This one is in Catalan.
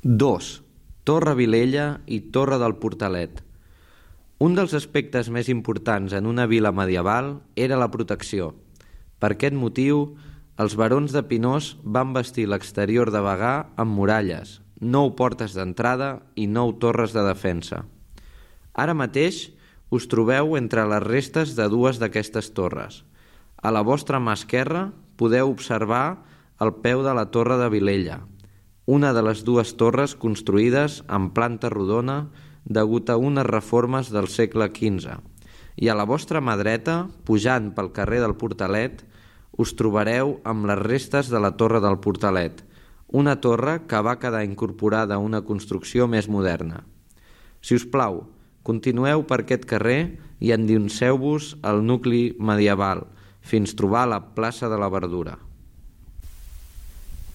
2. Torre Vilella i Torre del Portalet. Un dels aspectes més importants en una vila medieval era la protecció. Per aquest motiu, els barons de Pinós van bastir l'exterior de Bagà amb muralles, 9 portes d'entrada i 9 torres de defensa. Ara mateix us trobeu entre les restes de 2 d'aquestes torres. A la vostra mà esquerra podeu observar el peu de la Torre de Vilella, una de les 2 torres construïdes en planta rodona degut a unes reformes del segle XV. I a la vostra mà dreta, pujant pel carrer del Portalet, us trobareu amb les restes de la Torre del Portalet, una torre que va quedar incorporada a una construcció més moderna. Si us plau, continueu per aquest carrer i endinseu-vos al nucli medieval, fins trobar la plaça de la Verdura.